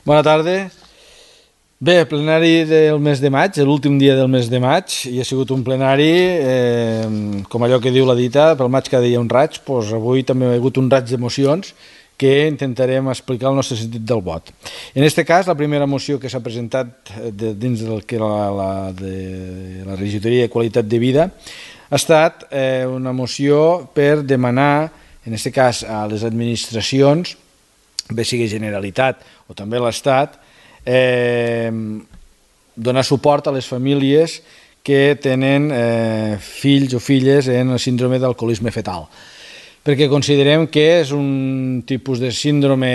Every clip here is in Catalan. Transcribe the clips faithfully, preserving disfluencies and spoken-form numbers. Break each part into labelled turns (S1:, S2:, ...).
S1: Bona tarda. Bé, plenari del mes de maig, l'últim dia del mes de maig, i ha sigut un plenari, eh, com allò que diu la dita, pel maig cada dia un raig, doncs avui també ha hagut un raig d'emocions que intentarem explicar el nostre sentit del vot. En aquest cas, la primera moció que s'ha presentat de, dins del que la, la, de la regidoria de qualitat de vida ha estat eh, una moció per demanar, en aquest cas a les administracions, bé sigui Generalitat o també l'Estat, eh, donar suport a les famílies que tenen eh, fills o filles en el síndrome d'alcoholisme fetal, perquè considerem que és un tipus de síndrome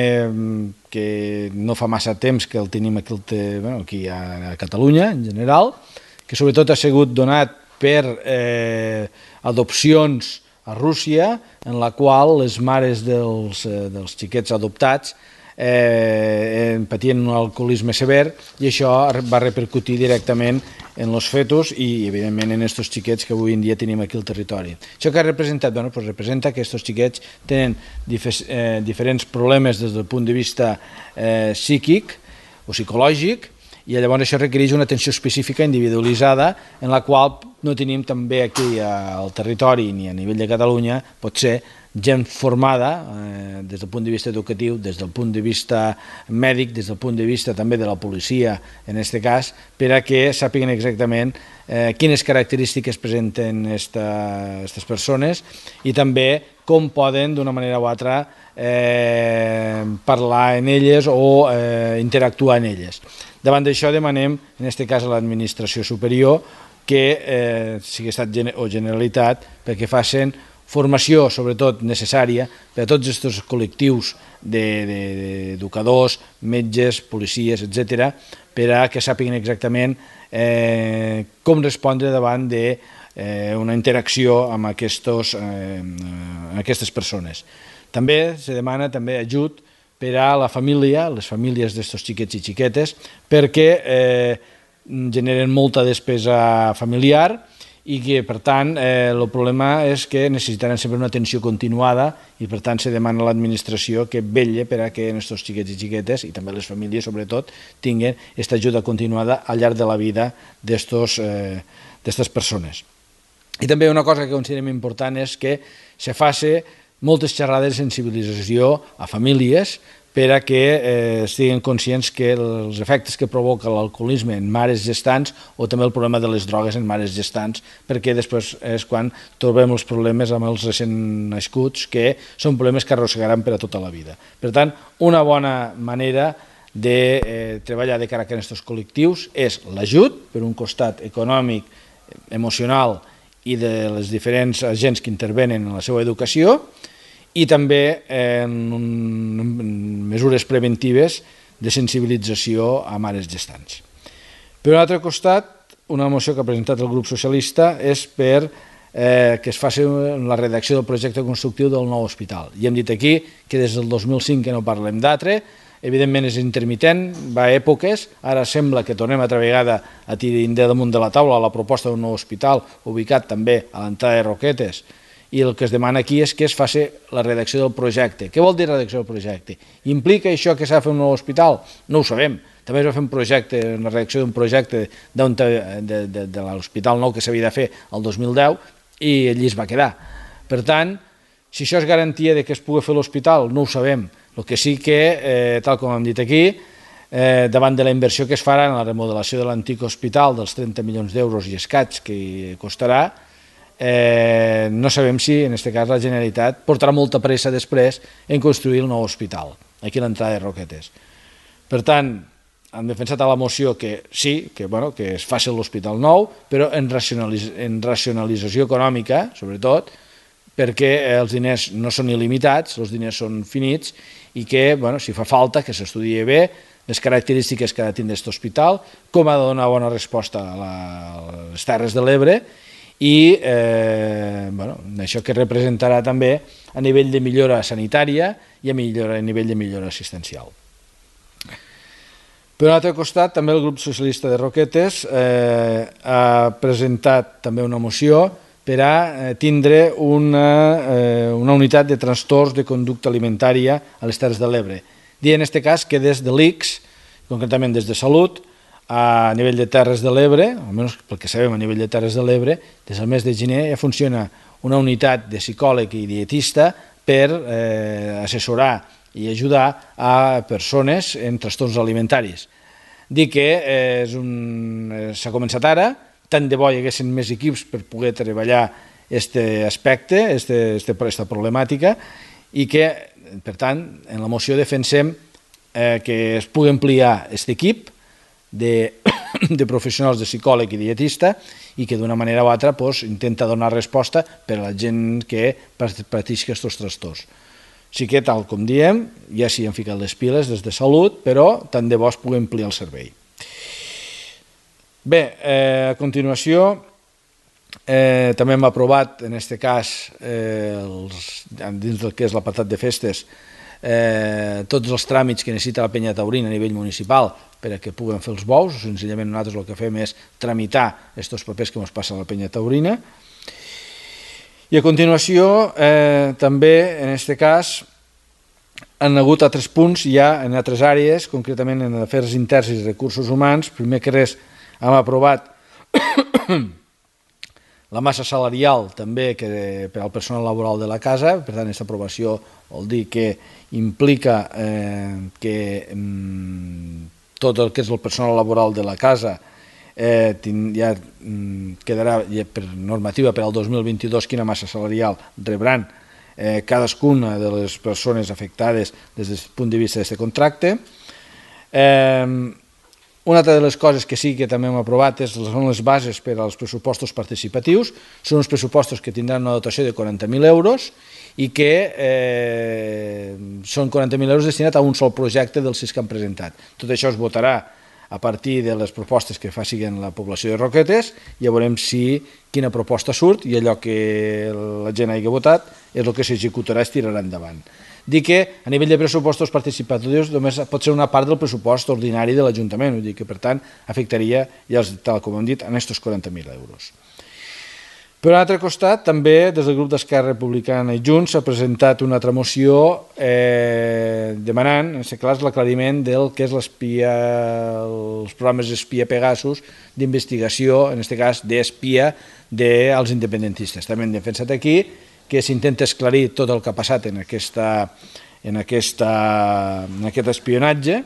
S1: que no fa massa temps que el tenim aquí, bueno, aquí a Catalunya en general, que sobretot ha sigut donat per eh, adopcions a Rússia, en la qual les mares dels, eh, dels xiquets adoptats eh, patien un alcoholisme sever, i això va repercutir directament en els fetus i, evidentment, en aquests xiquets que avui en dia tenim aquí al territori. Això que ha representat? Bueno, pues representa que aquests xiquets tenen dif eh, diferents problemes des del punt de vista eh, psíquic o psicològic, i llavors això requereix una atenció específica individualitzada, en la qual no tenim també aquí al territori ni a nivell de Catalunya, pot ser gent formada eh, des del punt de vista educatiu, des del punt de vista mèdic, des del punt de vista també de la policia, en aquest cas, per a que sàpiguen exactament eh, quines característiques presenten aquestes persones i també com poden, d'una manera o altra, eh, parlar en elles o eh, interactuar en elles. Davant d'això demanem, en aquest cas a l'administració superior, que eh, sigui Estat o Generalitat, perquè facin formació, sobretot necessària, per a tots aquests col·lectius d'educadors, metges, policies, etcètera, per a que sàpiguen exactament eh, com respondre davant d'una interacció amb, aquestos, eh, amb aquestes persones. També se demana també ajut per a la família, les famílies d'aquests xiquets i xiquetes, perquè eh, generen molta despesa familiar i que, per tant, eh, el problema és que necessitaran sempre una atenció continuada i, per tant, se demana a l'administració que vetlle per a que aquests xiquets i xiquetes, i també les famílies, sobretot, tinguin aquesta ajuda continuada al llarg de la vida d'aquestes eh, persones. I també una cosa que considerem important és que se faci moltes xerrades de sensibilització a famílies per a que eh, estiguin conscients que els efectes que provoca l'alcoholisme en mares gestants o també el problema de les drogues en mares gestants, perquè després és quan trobem els problemes amb els recent nascuts, que són problemes que arrossegaran per a tota la vida. Per tant, una bona manera de eh, treballar de cara a aquests col·lectius és l'ajut, per un costat econòmic, emocional i de les diferents agents que intervenen en la seva educació, i també en mesures preventives de sensibilització a mares gestants. Per un altre costat, una moció que ha presentat el grup socialista és per eh, que es faci la redacció del projecte constructiu del nou hospital. I hem dit aquí que des del dos mil cinc que no parlem d'altre, evidentment és intermitent, va a èpoques, ara sembla que tornem altra vegada a tirar damunt de la taula la proposta d'un nou hospital ubicat també a l'entrada de Roquetes, i el que es demana aquí és que es faci la redacció del projecte. Què vol dir redacció del projecte? Implica això que s'ha de fer un nou hospital? No ho sabem. També es va fer un projecte, una redacció d'un projecte de, de, de, de l'hospital nou que s'havia de fer el dos mil deu i allí es va quedar. Per tant, si això és garantia de que es pugui fer l'hospital, no ho sabem. El que sí que, eh, tal com hem dit aquí, eh, davant de la inversió que es farà en la remodelació de l'antic hospital dels trenta milions d'euros i escaig que costarà, Eh, no sabem si, en aquest cas, la Generalitat portarà molta pressa després en construir el nou hospital, aquí a l'entrada de Roquetes. Per tant, han defensat a la moció que sí, que, bueno, que es faci l'hospital nou, però en, racionalitz en racionalització econòmica, sobretot, perquè els diners no són il·limitats, els diners són finits, i que, bueno, si fa falta, que s'estudie bé les característiques que ha de tindre aquest hospital, com ha de donar bona resposta a, la, a les Terres de l'Ebre, i eh, bueno, això que representarà també a nivell de millora sanitària i a, millora, a nivell de millora assistencial. Per un altre costat, també el grup socialista de Roquetes eh, ha presentat també una moció per a tindre una, eh, una unitat de trastorns de conducta alimentària a les Terres de l'Ebre. Dir en aquest cas que des de l'I C S concretament des de Salut, a nivell de Terres de l'Ebre, almenys pel que sabem a nivell de Terres de l'Ebre, des del mes de gener ja funciona una unitat de psicòleg i dietista per eh, assessorar i ajudar a persones en trastorns alimentaris. Dic que eh, s'ha començat ara, tant de bo hi haguessin més equips per poder treballar aquest aspecte, aquesta problemàtica, i que, per tant, en la moció defensem eh, que es pugui ampliar aquest equip de, de professionals de psicòleg i dietista i que d'una manera o altra pues, intenta donar resposta per a la gent que pateix aquests trastorns. Sí que, tal com diem, ja s'hi han ficat les piles des de Salut, però tant de bo es pugui ampliar el servei. Bé, eh, a continuació, eh, també hem aprovat, en aquest cas, eh, els, dins del que és l'apartat de festes, eh, tots els tràmits que necessita la penya taurina a nivell municipal per a que puguen fer els bous, o senzillament nosaltres el que fem és tramitar aquests papers que ens passa a la penya taurina. I a continuació, eh, també, en aquest cas, han hagut altres punts ja en altres àrees, concretament en afers interns i recursos humans. Primer que res, hem aprovat la massa salarial també que per al personal laboral de la casa. Per tant, aquesta aprovació vol dir que implica eh, que mm, tot el que és el personal laboral de la casa eh, ja mm, quedarà ja per normativa per al dos mil vint-i-dos quina massa salarial rebran eh, cadascuna de les persones afectades des del punt de vista d'aquest contracte. Eh, Una altra de les coses que sí que també hem aprovat són les bases per als pressupostos participatius. Són uns pressupostos que tindran una dotació de quaranta mil euros i que eh, són quaranta mil euros destinats a un sol projecte dels sis que han presentat. Tot això es votarà a partir de les propostes que facin la població de Roquetes. Ja veurem si quina proposta surt i allò que la gent hagi votat és el que s'executarà i es tirarà endavant. Dir que a nivell de pressupostos participatius només pot ser una part del pressupost ordinari de l'Ajuntament, vull dir que per tant afectaria, ja tal com hem dit, a aquests quaranta mil euros. Per un altre costat, també des del grup d'Esquerra Republicana i Junts s'ha presentat una altra moció eh, demanant, en aquest cas, l'aclariment del que és l'espia, els programes espia Pegasus d'investigació, en aquest cas d'espia dels independentistes. També hem defensat aquí que s'intenta esclarir tot el que ha passat en, aquesta, en, aquesta, en aquest espionatge.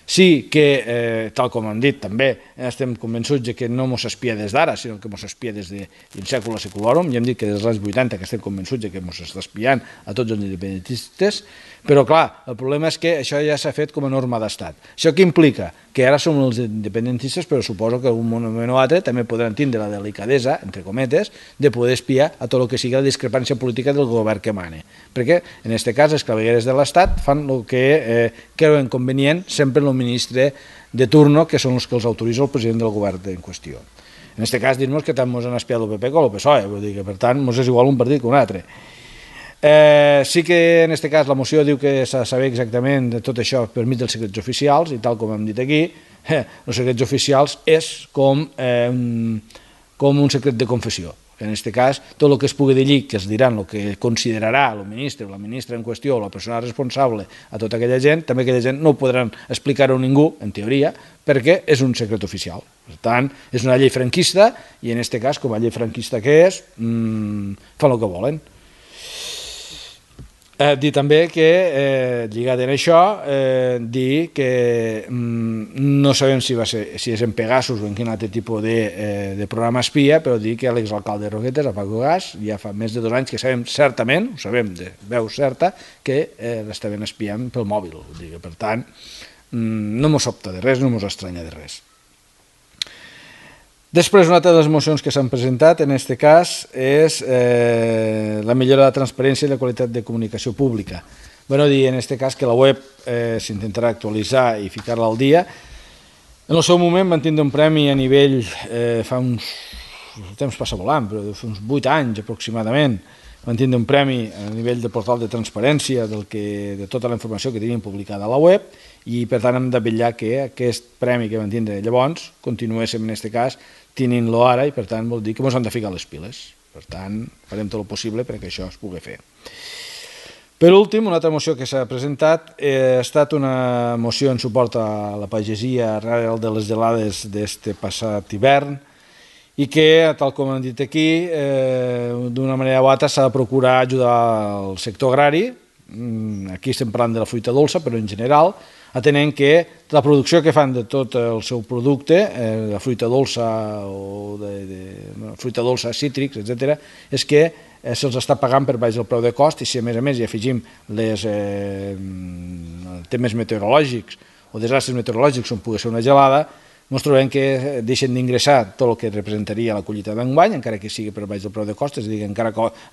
S1: Sí que, eh, tal com hem dit, també estem convençuts que no ens espia des d'ara, sinó que ens espia des de secula seculorum. Ja hem dit que des dels anys vuitanta que estem convençuts que ens està espiant a tots els independentistes, però clar, el problema és que això ja s'ha fet com a norma d'estat. Això què implica? Que ara som els independentistes, però suposo que algun moment o altre també podran tindre la delicadesa, entre cometes, de poder espiar a tot el que sigui la discrepància política del govern que mane. Perquè, en aquest cas, els clavegueres de l'Estat fan el que eh, creuen convenient sempre el ministre de turno, que són els que els autoritza el president del govern en qüestió. En aquest cas, dir-nos que tant ens han espiat el P P com el P S O E, vull dir que, per tant, ens és igual un partit que un altre. Eh, sí que en aquest cas la moció diu que s'ha de saber exactament de tot això per mig dels secrets oficials, i tal com hem dit aquí, eh, els secrets oficials és com, eh, un, com un secret de confessió. En aquest cas, tot el que es pugui dir allí, que es diran el que considerarà el ministre o la ministra en qüestió o la persona responsable a tota aquella gent, també aquella gent no ho podran explicar-ho a ningú, en teoria, perquè és un secret oficial. Per tant, és una llei franquista i en aquest cas, com a llei franquista que és, mmm, fan el que volen. Eh, dir també que, eh, lligat en això, eh, dir que mm, no sabem si, va ser, si és en Pegasus o en quin altre tipus de, eh, de programa espia, però dir que l'exalcalde de Roquetes, a Paco Gas, ja fa més de dos anys que sabem certament, ho sabem de veu certa, que eh, l'estaven espiant pel mòbil. Dir que, per tant, mm, no mos sobta de res, no mos estranya de res. Després, una altra de les mocions que s'han presentat, en aquest cas, és eh, la millora de la transparència i la qualitat de comunicació pública. Bé, dir en aquest cas que la web eh, s'intentarà actualitzar i ficar-la al dia. En el seu moment van tindre un premi a nivell, eh, fa uns, el temps passa volant, però fa uns vuit anys aproximadament, van tindre un premi a nivell de portal de transparència del que, de tota la informació que tenien publicada a la web, i per tant hem de vetllar que aquest premi que van tindre llavors continuéssim en aquest cas tenint-lo ara, i per tant vol dir que ens hem de ficar les piles. Per tant, farem tot el possible perquè això es pugui fer. Per últim, una altra moció que s'ha presentat ha estat una moció en suport a la pagesia arrel de les gelades d'este passat hivern i que, tal com hem dit aquí, d'una manera o altra s'ha de procurar ajudar el sector agrari. Aquí estem parlant de la fruita dolça, però en general, atenent que la producció que fan de tot el seu producte, la fruita dolça o de fruita dolça, cítrics, etcètera, és que se'ls està pagant per baix del preu de cost, i si a més a més hi afegim els temes meteorològics o desastres meteorològics on pugui ser una gelada, ens trobem que deixen d'ingressar tot el que representaria la collita d'enguany, encara que sigui per baix del preu de cost, és a dir, que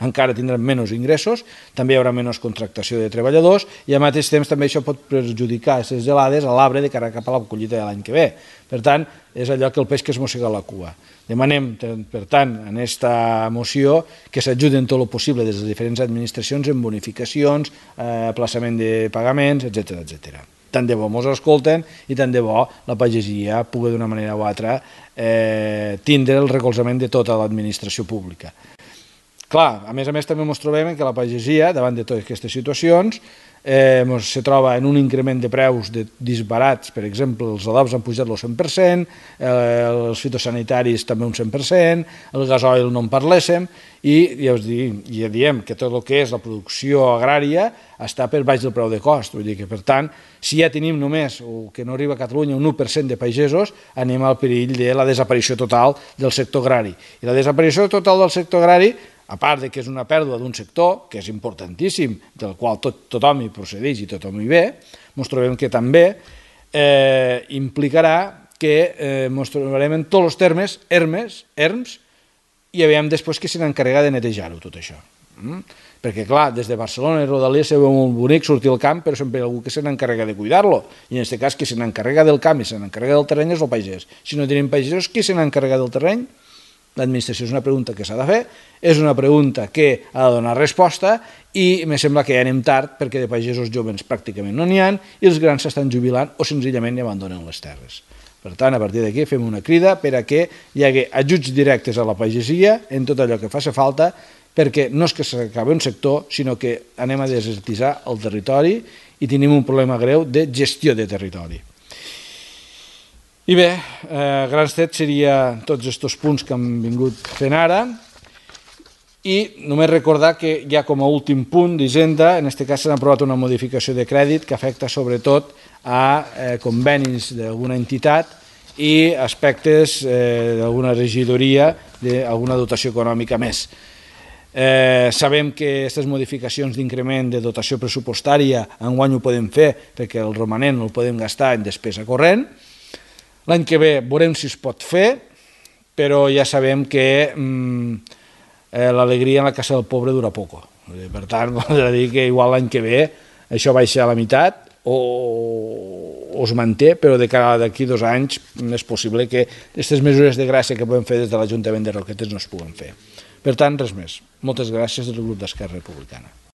S1: encara tindran menys ingressos, també hi haurà menys contractació de treballadors i al mateix temps també això pot perjudicar aquestes gelades a l'arbre de cara cap a la collita de l'any que ve. Per tant, és allò que el peix que es mossega la cua. Demanem, per tant, en aquesta moció que s'ajuden tot el possible des de les diferents administracions en bonificacions, aplaçament de pagaments, etcètera, etcètera. Tant de bo ens escolten i tant de bo la pagesia pugui d'una manera o altra tindre el recolzament de tota l'administració pública. Clar, a més a més també ens trobem que la pagesia, davant de totes aquestes situacions, se troba en un increment de preus disbarats. Per exemple, els adobs han pujat el cent per cent, els fitosanitaris també un cent per cent, el gasoil no en parléssim, i ja diem que tot el que és la producció agrària està per baix del preu de cost. Vull dir que, per tant, si ja tenim només, o que no arriba a Catalunya, un u per cent de pagesos, anem al perill de la desaparició total del sector agrari. I la desaparició total del sector agrari, a part que és una pèrdua d'un sector, que és importantíssim, del qual tothom hi procedeix i tothom hi ve, ens trobem que també implicarà que ens trobarem en tots els termes, erms, i veiem després que se n'encarrega de netejar-ho, tot això. Perquè, clar, des de Barcelona i Rodalies se veu molt bonic sortir al camp, però sempre hi ha algú que se n'encarrega de cuidar-lo. I en aquest cas, qui se n'encarrega del camp i se n'encarrega del terreny és el pagès. Si no tenim pagesos, qui se n'encarrega del terreny? L'administració. És una pregunta que s'ha de fer, és una pregunta que ha de donar resposta i em sembla que ja anem tard perquè de pagesos joves pràcticament no n'hi ha i els grans s'estan jubilant o senzillament abandonen les terres. Per tant, a partir d'aquí fem una crida per a que hi hagi ajuts directes a la pagesia en tot allò que faci falta, perquè no és que s'acabi un sector, sinó que anem a desertitzar el territori i tenim un problema greu de gestió de territori. I bé, a grans trets serien tots aquests punts que hem vingut fent ara i només recordar que ja com a últim punt d'Hisenda, en aquest cas s'ha aprovat una modificació de crèdit que afecta sobretot a convenis d'alguna entitat i aspectes d'alguna regidoria d'alguna dotació econòmica més. Sabem que aquestes modificacions d'increment de dotació pressupostària enguany ho podem fer perquè el romanent el podem gastar en despesa corrent. L'any que ve veurem si es pot fer, però ja sabem que l'alegria en la casa del pobre dura poc. Per tant, voldrà dir que igual l'any que ve això baixa a la meitat o es manté, però de cara d'aquí dos anys és possible que aquestes mesures de gràcia que podem fer des de l'Ajuntament de Roquetes no es puguen fer. Per tant, res més. Moltes gràcies del grup d'Esquerra Republicana.